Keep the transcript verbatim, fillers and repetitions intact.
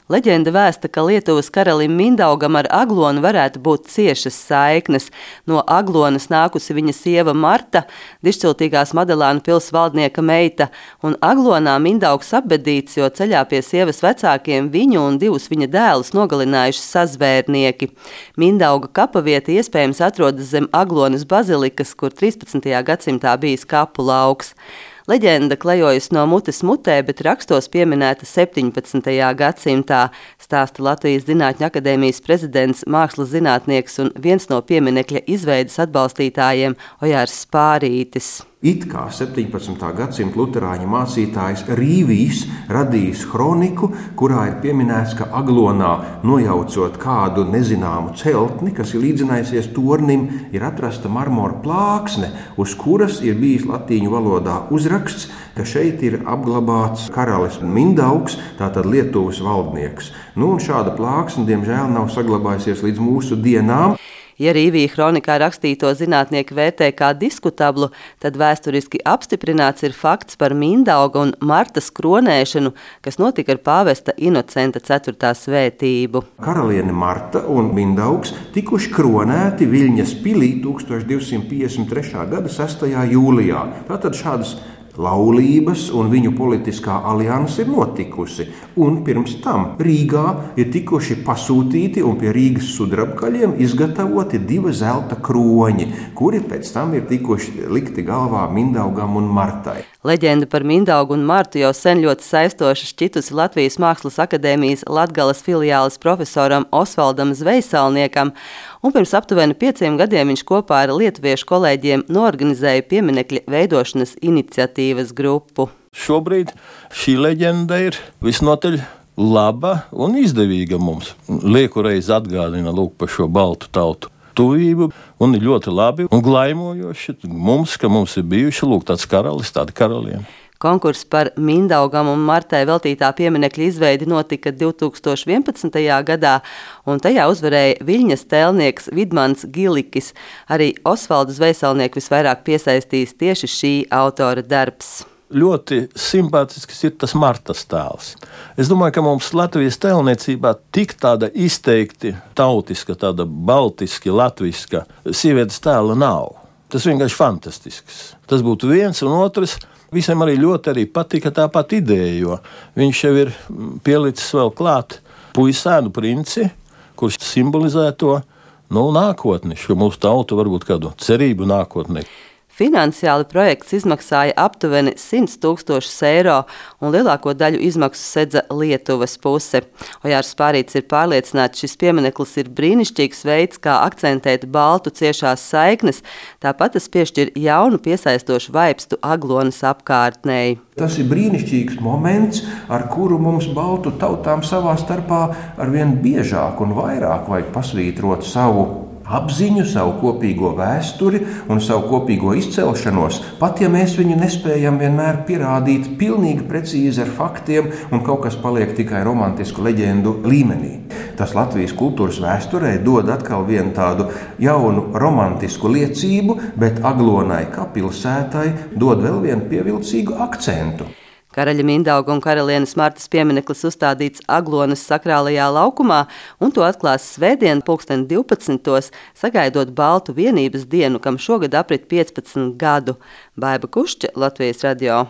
Leģenda vēsta, ka Lietuvas karalim Mindaugam ar Aglonu varētu būt ciešas saiknes. No Aglonas nākusi viņa sieva Marta, dišciltīgās Madelānu pils valdnieka meita, un Aglonā Mindaugs apbedīts, jo ceļā pie sievas vecākiem viņu un divus viņa dēlus nogalinājuši sazvērnieki. Mindauga kapavieta iespējams atrodas zem Aglonas bazilikas, kur trīspadsmitajā gadsimtā bijis kapu lauks. Leģenda klejojas no mutes mutē, bet rakstos pieminēta septiņpadsmitajā gadsimtā, stāsta Latvijas Zinātņu akadēmijas prezidents, mākslas zinātnieks un viens no pieminekļa izveides atbalstītājiem Ojārs Spārītis. It kā septiņpadsmitā gadsimta luterāņu mācītājs Rīvijs radījis kroniku, kurā ir pieminēts, ka Aglonā, nojaucot kādu nezināmu celtni, kas ir līdzinājusies tornim, ir atrasta marmora plāksne, uz kuras ir bijis latīņu valodā uzraksts, ka šeit ir apglabāts karalis Mindaugs, tātad Lietuvas valdnieks. Nu, un šāda plāksne, diemžēl, nav saglabājusies līdz mūsu dienām. Ja Rīvija kronikā rakstīto zinātnieki vērtē kā diskutablu, tad vēsturiski apstiprināts ir fakts par Mindauga un Martas kronēšanu, kas notika ar pāvesta Inocenta ceturtā svētību. Karaliene Marta un Mindaugs tikuši kronēti Viļņas pilī tūkstoš divsimt piecdesmit trešā gada sestajā jūlijā. Tātad šādas laulības un viņu politiskā alianse ir notikusi, un pirms tam Rīgā ir tikuši pasūtīti un pie Rīgas sudrabkaļiem izgatavoti divi zelta kroņi, kuri pēc tam ir tikuši likti galvā Mindaugam un Martai. Leģenda par Mindaugu un Martu jau sen ļoti saistoša šķitusi Latvijas Mākslas akadēmijas Latgales filiāles profesoram Osvaldam Zvejsalniekam, un pirms aptuveni pieciem gadiem viņš kopā ar lietuviešu kolēģiem noorganizēja pieminekļa veidošanas iniciatīvas grupu. Šobrīd šī leģenda ir visnotaļ laba un izdevīga mums. Lieku reizi atgādina lūk par šo baltu tautu tuvību, un ir ļoti labi un glaimojoši mums, ka mums ir bijuši lūk tāds karalis, tāda karaliene. Konkurss par Mindaugam un Martai veltītā pieminekļa izveidi notika divtūkstoš vienpadsmitajā gadā, un tajā uzvarēja Viļņas tēlnieks Vidmans Gilikis. Arī Osvaldu Zvejsalnieku visvairāk piesaistīs tieši šī autora darbs. Ļoti simpātisks ir tas Martas tēls. Es domāju, ka mums Latvijas tēlniecībā tik tāda izteikti tautiska, tāda baltiski latviska sievietes tēla nav. Tas vienkārši fantastisks. Tas būtu viens un otrs. Visiem arī ļoti arī patika tāpat ideja, jo viņš jau ir pielicis vēl klāt puisēnu princi, kurš simbolizē to nu, nākotni, šo mūsu tautu varbūt kādu cerību nākotnē. Finansiāli projekts izmaksāja aptuveni simt tūkstošus eiro, un lielāko daļu izmaksu sedza Lietuvas puse. Ojārs Spārītis ir pārliecināts, šis piemineklis ir brīnišķīgs veids, kā akcentēt baltu ciešās saiknes, tāpat tas piešķir jaunu piesaistošu vaipstu Aglonas apkārtnei. Tas ir brīnišķīgs moments, ar kuru mums baltu tautām savā starpā arvien biežāk un vairāk vajag pasvītrot savu apziņu, savu kopīgo vēsturi un savu kopīgo izcelšanos, pat ja mēs viņu nespējam vienmēr pierādīt pilnīgi precīzi ar faktiem un kaut kas paliek tikai romantisku leģendu līmenī. Tas Latvijas kultūras vēsturē dod atkal vienu tādu jaunu romantisku liecību, bet Aglonai kā pilsētai dod vēl vienu pievilcīgu akcentu. Karaļa Mindauga un karalienes Martas piemineklis uzstādīts Aglonas sakrālajā laukumā, un to atklās svētdien pulksten divpadsmitos, sagaidot Baltu vienības dienu, kam šogad aprit piecpadsmit gadu. Baiba Kušķa, Latvijas radio.